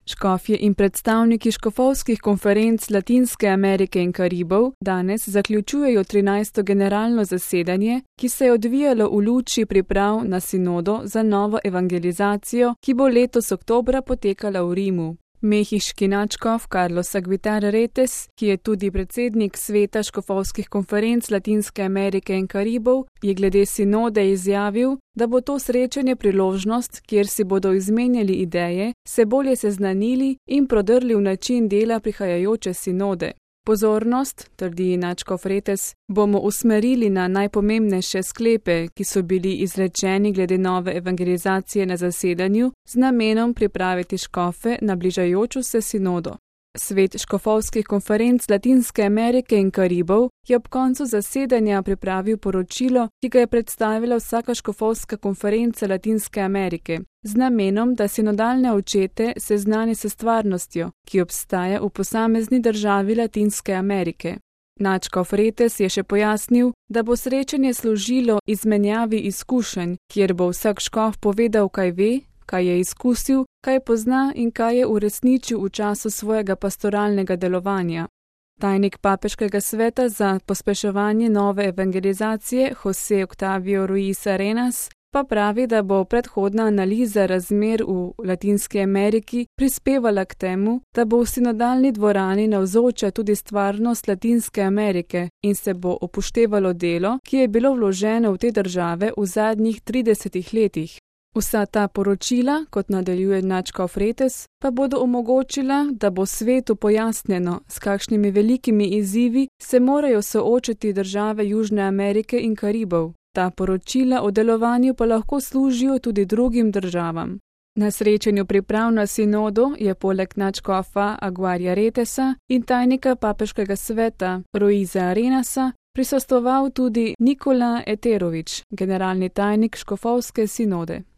Škofje in predstavniki škofovskih konferenc Latinske Amerike in Karibov danes zaključujejo 13. generalno zasedanje, ki se je odvijalo v luči priprav na sinodo za novo evangelizacijo, ki bo letos oktobra potekala v Rimu. Mehiški nadškof Carlos Aguitar Retes, ki je tudi predsednik sveta škofovskih konferenc Latinske Amerike in Karibov, je glede sinode izjavil, da bo to srečanje priložnost, kjer si bodo izmenjali ideje, se bolje seznanili in prodrli v način dela prihajajoče sinode. Pozornost, trdi nadškof Retes, bomo usmerili na najpomembnejše sklepe, ki so bili izrečeni glede nove evangelizacije na zasedanju, z namenom pripraviti škofe na bližajočo se sinodo. Svet škofovskih konferenc Latinske Amerike in Karibov je ob koncu zasedanja pripravil poročilo, ki ga je predstavila vsaka škofovska konferenca Latinske Amerike, z namenom, da sinodalne očete seznani s stvarnostjo, ki obstaja v posamezni državi Latinske Amerike. Nadškof Retes je še pojasnil, da bo srečanje služilo izmenjavi izkušenj, kjer bo vsak škof povedal, kaj ve, kaj je izkusil, kaj pozna in kaj je uresničil v času svojega pastoralnega delovanja. Tajnik papeškega sveta za pospeševanje nove evangelizacije José Octavio Ruiz Arenas pa pravi, da bo predhodna analiza razmer v Latinski Ameriki prispevala k temu, da bo v sinodalni dvorani navzoča tudi stvarnost Latinske Amerike in se bo upoštevalo delo, ki je bilo vloženo v te države v zadnjih 30 letih. Vsa ta poročila, kot nadaljuje nadškof Retes, pa bodo omogočila, da bo svetu pojasnjeno, s kakšnimi velikimi izzivi se morajo soočiti države Južne Amerike in Karibov. Ta poročila o delovanju pa lahko služijo tudi drugim državam. Na srečanju priprav na sinodo je poleg nadškofa Aguitarja Retesa in tajnika papeškega sveta Ruiza Arenasa prisostoval tudi Nikola Eterović, generalni tajnik škofovske sinode.